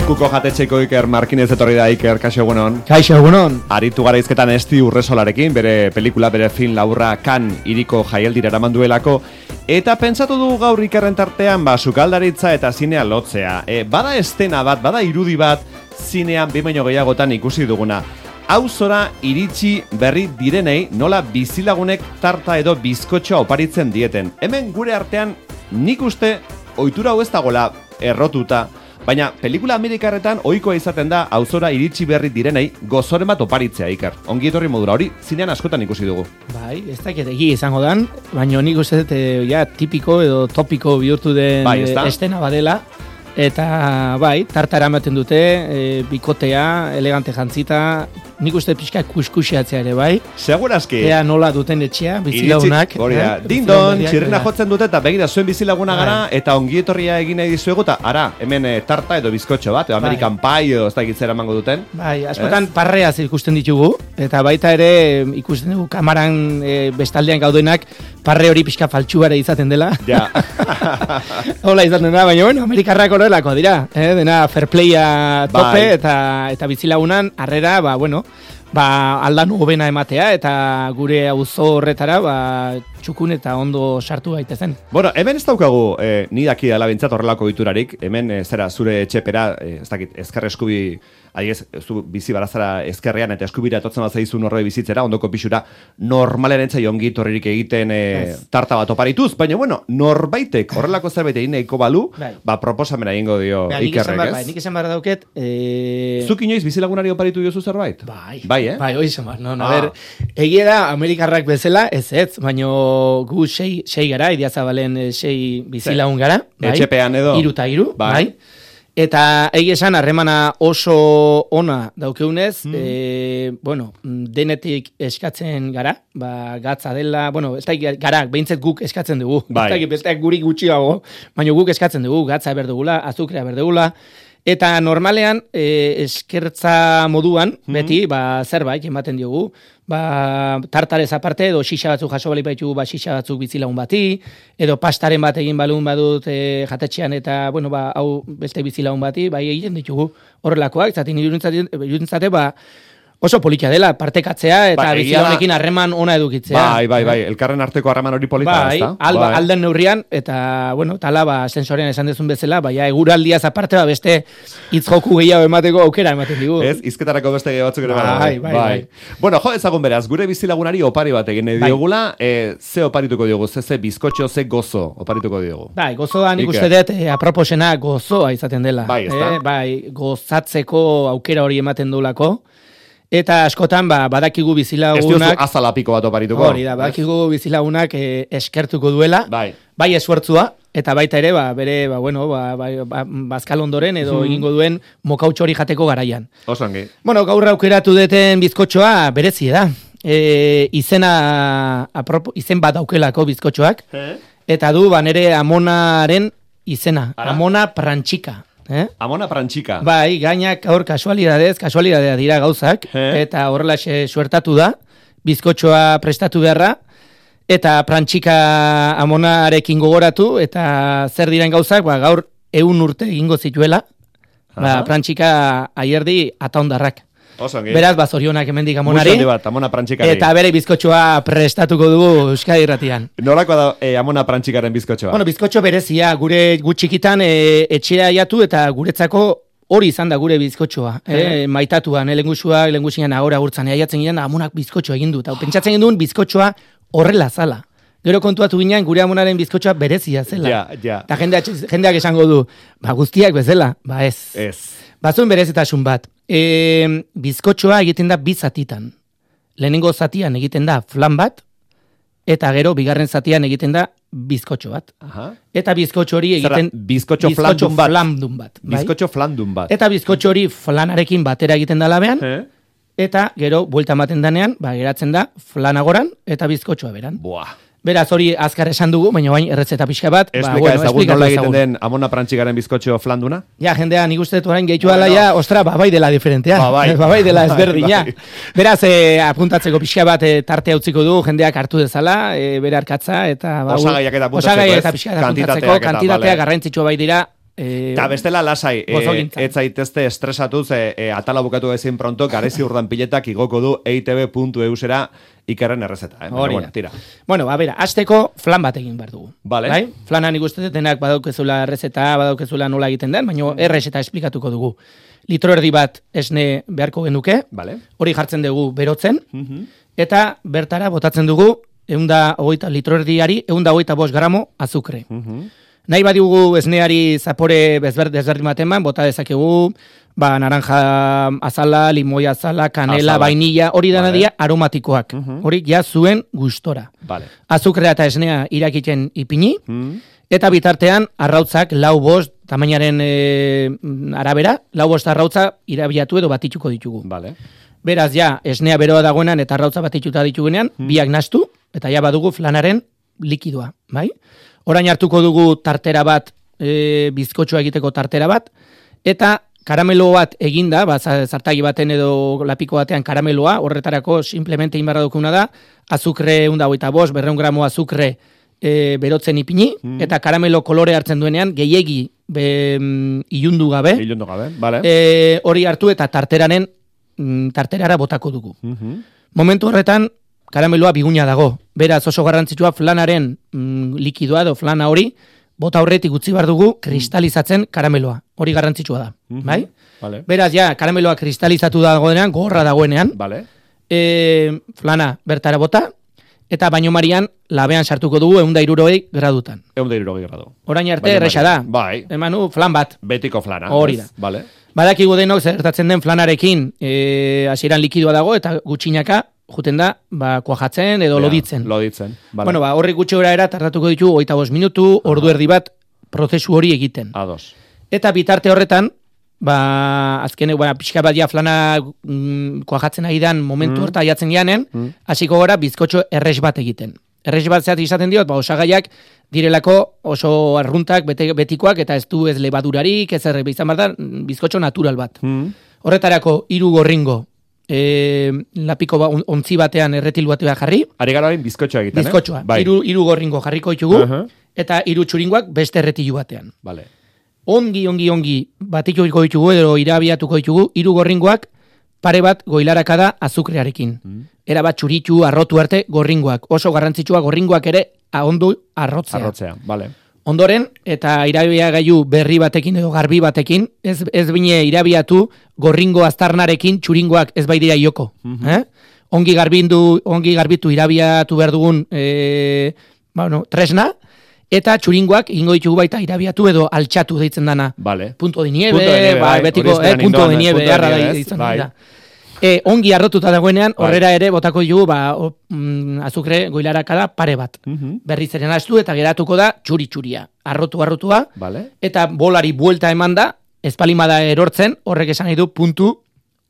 Kuko jatetxeko Iker Markinez etorri da. Iker, kaixo egunon. Kaixo egunon. Aritu gara izketan Esti Urresolarekin, bere pelikula, bere film laburra Cannes hiriko jaialdira eraman duelako. Eta pentsatu du gaur Ikerren tartean, sukaldaritza eta zinea lotzea. Bada estena bat, bada irudi bat, zinean behin baino gehiagotan ikusi duguna. Auzora iritsi berri direnei nola bizilagunek tarta edo bizkotxoa oparitzen dieten. Hemen gure artean nik uste ohitura hau ez dagoela errotuta, baina pelikula amerikarretan ohikoa izaten da auzora iritsi berri direnei gozoren bat oparitzea, Iker. Ongi etorri modura hori, zinean askotan ikusi dugu. Bai, ez dakit egia izango dan, baina nik uste tipiko edo topiko bihurtu den estena badela. Eta bai, tartara ematen dute, bikotea, elegante jantzita, nik uste pixka kuskusiatzea ere bai. Segurazki. Ea nola duten etxea, bizilagunak. Dindon, txirrena jotzen dute eta begira zuen bizilaguna gara, eta ongietorria egin nahi dizuegu, eta ara, hemen tarta edo bizkotxo bat, edo American Pie edo ez da egitzera emango duten. Bai, askotan parreaz ikusten ditugu, eta baita ere ikusten dugu kamaran bestaldean gaudenak, parre hori pixka faltsuare izaten dela. Ja. Hola izaten da, baina bueno, Amerikarrak horrelako dira, dena fair playa tope, eta bizilagunan harrera, aldan hobena ematea, eta gure auzo horretara, txukun eta ondo sartu gaitezen. Bueno, hemen ez daukagu, ni daki dela bintzat horrelako diturarik, hemen zure etxepera, ez dakit, ezker eskubi, zu bizi barazara ezkerrean eta eskubira etotzen bat zaizun horre bizitzera, ondoko pixura, normalen entzai ongi torririk egiten tarta bat oparituz, baina bueno, norbaitek horrelako zerbait egin nahiko balu, proposamena egingo dio Ikerrek, ez? Nik esan barra dauket... Zuk inoiz bizilagunari oparitu diozu zerbait? Bai, hoi esan bar, a ber, egia da Amerikarrak bezala, ez, baina gu sei gara, Idiazabalen sei bizilagun gara, etxepean edo? 3 eta 3, bai. Eta egia esan harremana oso ona daukeunez, denetik eskatzen gara, gatza dela, ez da gara, behintzet guk eskatzen dugu, ez da besteak guri gutxiago, baina guk eskatzen dugu, gatza berdugula, azukrea berdugula, eta normalean eskertza moduan, beti, zerbait ematen diogu, tartarez aparte, edo xixa batzuk jaso bali baitu, xixa batzuk bizilagun bati, edo pastaren bat egin balun badut jatetxean, eta, hau beste bizilagun bati, egiten ditugu horrelakoak, zaten irudintzate, oso politia dela, partekatzea, eta bizilagunekin harreman ona edukitzea. Bai, elkarren arteko harreman hori polita, ez da? Alden neurrian, eta, tala, sensorean esan dezun bezala, eguraldiaz aparte, beste hitzjoku gehiago emateko aukera ematen digu. Ez, izketarako beste gehiago batzuk ere bai. Bueno, ezagun beraz, gure bizilagunari opari bat egin diogula, ze oparituko diogu, ze bizkotxo, ze gozo oparituko diogu. Gozoa nik uste dut, aproposena gozoa izaten dela. Gozatzeko aukera hori ematen duelako. Eta askotan, badakigu bizilagunak... Ez diozu azalapiko bat oparituko. Hori da, badakigu bizilagunak eskertuko duela, bai esfuertzua, eta baita ere, bere, bazkal ondoren edo egingo duen mokautxo hori jateko garaian. Osongi. Gaur aukeratu deten bizkotxoa berezie da. Izen bat daukelako bizkotxoak, eta du, nere amonaren izena, Amona Prantxika. Amona Prantxika. Bai, gainak hor kasualidadea dira gauzak, eta horrela suertatu da, bizkotxoa prestatu beharra, eta Prantxika amonarekin gogoratu, eta zer diren gauzak, gaur 100 urte egingo zituela, Prantxika aierdi ataondarrak. Beraz, zorionak hemendik amonari, Amona Prantxikari. Eta bere bizkotxoa prestatuko dugu Euskadi Irratian. Nolako da Amona Prantxikaren bizkotxoa? Bizkotxo berezia, gure txikitan etxea jatu eta guretzako hori izan da gure bizkotxoa. Maitatuan, lengusian agora gurtzan, jatzen ginen, amonak bizkotxoa egin du. Eta pentsatzen ginduen bizkotxoa horrela zala. Gero kontuatu ginen gure amonaren bizkotxoa berezia zela. Eta jendeak esango du, guztiak bezala, ez. Bazuen berezitasun bat. Bizkotxoa egiten da 2 zatitan. Lehenengo zatian egiten da flan bat, eta gero bigarren zatian egiten da bizkotxo bat. Eta bizkotxo hori egiten... Bizkotxo flandun bat. Bizkotxo flandun bat. Eta bizkotxo hori flanarekin batera egiten da labean, eta gero buelta ematen danean, geratzen da flanagoran eta bizkotxoa beran. Beraz, hori azkar esan dugu, baina bain erretzeta pixka bat. Esplika ezagun nola egiten den Amona Prantxikaren bizkotxo flanduna? Ja, jendea, nik uste dut orain gehitu ala, ostra, bai dela diferentea. Bai dela ezberdina. Beraz, apuntatzeko pixka bat tarte utziko du, jendeak hartu dezala, bere arkatza, eta... Osagaiak eta apuntatzeko, pixka apuntatzeko, kantitatea garrantzitsua bai dira, Eta bestela lasai, ez zaitezte estresatuz, atala bukatu ezin pronto, garezi urdan piletak igoko du eitb.eusera Ikerren errezeta. Bueno, tira. Bueno, azteko flan bat egin behar dugu. Vale. Bai? Flanan ikusten denak badaukezula errezeta, badaukezula nola egiten den, baina errezeta esplikatuko dugu. Litro erdi bat esne beharko genuke, vale. Hori jartzen dugu berotzen, eta bertara botatzen dugu litro erdiari 125 gramo azukre. Nahi badiugu esneari zapore desberdin bat eman, bota dezakegu, naranja azala, limoi azala, kanela, vainilla, hori dana dira aromatikoak. Hori ja zuen gustora. Vale. Azukrea eta esnea irakiten ipini, eta bitartean arrautzak 4-5 tamainaren arabera, 4-5 arrautza irabiatu edo batituko ditugu. Vale. Beraz, ja, esnea beroa dagoenan eta arrautza batituta ditugunean, biak nastu, eta ja badugu flanaren likidoa, bai? Orain hartuko dugu tartera bat, bizkotxoa egiteko tartera bat, eta karamelo bat eginda, zartagi baten edo lapiko batean karameloa, horretarako simplemente inbarra dukuna da, azukre 125, 200 gramo azukre berotzen ipini, eta karamelo kolore hartzen duenean, gehiegi ilundu gabe, vale. Hori hartu eta tarterara botako dugu. Momentu horretan, karameloa biguna dago. Beraz oso garrantzitsua flanaren likidoa edo flana hori, bota horretik utzi behar dugu kristalizatzen karameloa. Hori garrantzitsua da. Bai? Vale. Beraz, ja, karameloa kristalizatu dagoenean, gorra dagoenean, vale. Flana bertara bota, eta baino marian labean sartuko dugu 160 gradutan. 160 gradu. Orain arte erresa da. Bai. Emanu, flan bat. Betiko flana. Hori da. Vale. Badakigu denok zertatzen den flanarekin hasieran likidoa dago eta gutxinaka juten da, kuajatzen edo loditzen. Loditzen. Vale. Bueno, horri gutxi gora era tardatuko ditu 25 minutu, ordu erdi bat prozesu hori egiten. Ados. Eta bitarte horretan, azken, pixka bat ja flana kuajatzen agidan momentu horta jatzen janen, hasiko gora bizkotxo erres bat egiten. Erres bat zehat izaten diot, osagaiak direlako oso arruntak, betikoak, eta ez du ez lebadurarik, ez erre, izan behar da, bizkotxo natural bat. Horretarako 3 gorringo, lapiko ontzi batean erretilu batea jarri. Ari gara hori bizkotxoa egiten, bizkotxoa, 3 gorringo jarriko ditugu, eta 3 txuringoak beste erretilu batean. Vale. Ongi batiko ditugu edo irabiatuko ditugu, 3 gorringoak pare bat goilarakada azukrearekin. Era bat txuritu, arrotu arte gorringoak. Oso garrantzitsua gorringoak ere ondo arrotzea. Arrotzea, vale. Ondoren, eta irabia gaiu berri batekin edo garbi batekin, ez bine irabiatu gorringo aztarnarekin txuringoak ez bai dira ioko. Ongi garbitu irabiatu behar dugun tresna, eta txuringoak ingo ditugu baita irabiatu edo altxatu deitzen dana. Vale. Punto de nieve, betiko, punto de nieve, erra da ditzen da. Ongi arrotuta dagoenean, horrera ere botako dugu azukre goilarakada pare bat. Berriz eren astu eta geratuko da txuri-txuria. Arrotua, eta bolari buelta eman da, espalimada erortzen, horrek esan nahi du puntu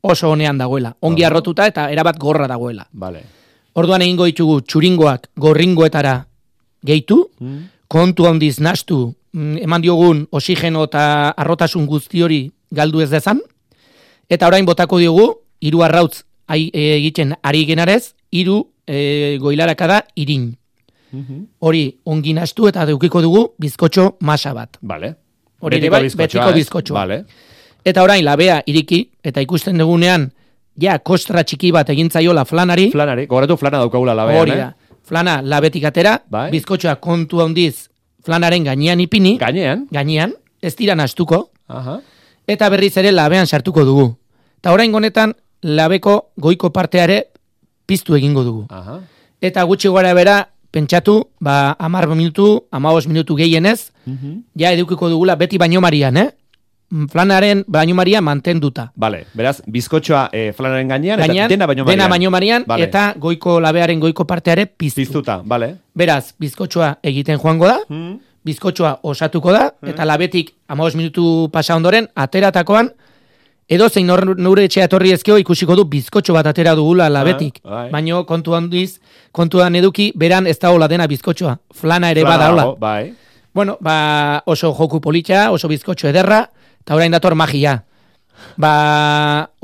oso honean dagoela. Ongi arrotuta eta erabat gorra dagoela. Orduan egingo ditugu txuringoak gorringoetara gehitu, kontu handiz nastu, eman diogun oxigeno eta arrotasun guzti hori galdu ez dezan, eta orain botako diogu, 3 arrautz egiten ari genarez, 3 goilarakada irin. Hori ongi nastu eta deukiko dugu bizkotxo masa bat. Vale. Hori ere bai, betiko bizkotxoa. Vale. Eta orain labea iriki, eta ikusten dugunean, ja, kostra txiki bat egintzaiola flanari. Flanari, gogoratu flana daukagula labean, hori da. Flana labetik atera, bizkotxoa kontu handiz flanaren gainean ipini. Gainean, ez dira nastuko. Eta berriz ere labean sartuko dugu. Eta orain honetan, labeko goiko parteare piztu egingo dugu. Eta gutxi gara bera, pentsatu, 10 minutu, 15 minutu gehienez, ja edukiko dugula beti baino marian, flanaren baino marian mantenduta. Vale, beraz, bizkotxoa flanaren gainean, eta dena baino marian, eta goiko labearen goiko parteare piztu. Piztuta, vale. Beraz, bizkotxoa egiten joango da, bizkotxoa osatuko da, eta labetik 15 minutu pasa ondoren, ateratakoan, edo zein nure etxea etorri ezkeo ikusiko du bizkotxo bat atera dugula labetik. Baina kontuan eduki, beran ez da hola dena bizkotxoa. Flana ere bada hola. Bueno, oso joku politxa, oso bizkotxo ederra, eta orain dator magia.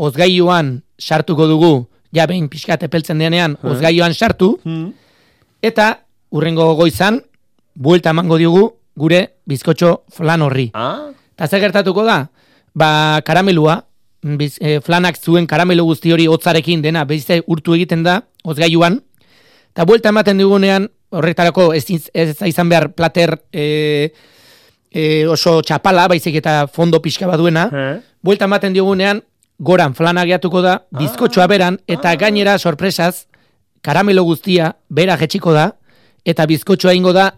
Ozgailuan sartuko dugu, ja behin pixkat epeltzen denean, ozgailuan sartu, eta urrengo goizan, buelta emango diogu gure bizkotxo flan horri. Eta zer gertatuko da? Karamelua, flanak zuen karamelo guzti hori hotzarekin dena, bezite urtu egiten da, hozgailuan, eta buelta ematen dugunean, horretarako ez izan behar plater oso txapala, baizik eta fondo pixka baduena, buelta ematen dugunean, goran flana gehiatuko da, bizkotxoa beran, eta gainera, sorpresaz, karamelo guztia, bera jetxiko da, eta bizkotxoa ingo da,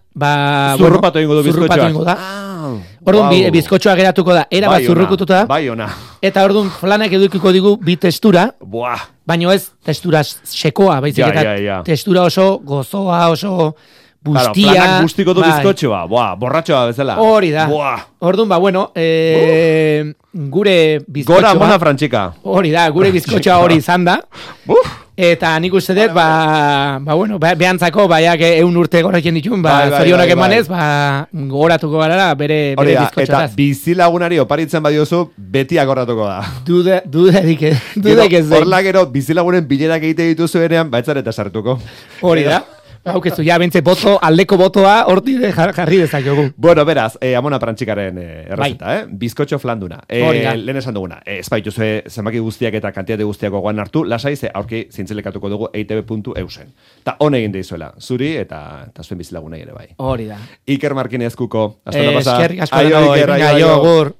zurrupatu ingo du bizkotxoa. Orduan, bizkotxoa geratuko da, era bat zurrukututa, eta orduan flanak edukiko digu bi testura, baina ez testura sekoa, baizik eta testura oso gozoa, oso bustia. Flanak guztiko du bizkotxoa, borratxoa bezala. Hori da. Orduan, gure bizkotxoa. Gora mona frantxika. Hori da, gure bizkotxoa hori izan da. Eta nik uste dut, behantzako, baiak 100 urte gorekin ditun, zorionak emanez, goratuko gara bere bizkotxotaz. Eta bizilagunari oparitzen badiozu, beti agorratuko da. Dudarik ez den. Horla gero, bizilagunen bilerak egite dituzu erean, baitzareta sartuko. Hori da. Haukezu, bentze aldeko botoa horti jarri dezakegu. Bueno, beraz, Amona Prantxikaren errezeta, bizkotxo flanduna. Lehen esan duguna, ez baituzue zenbaki guztiak eta kantitate guztiak gogoan hartu, lasai ze aurki zintzelekatuko dugu eitb.eusen. Ta hon egin deizuela, zuri eta zuen bizilagunei ere bai. Hori da. Iker Markinez kuko. Hasta la pasa. Eskerrik asko. Aio, Iker, aio, agur.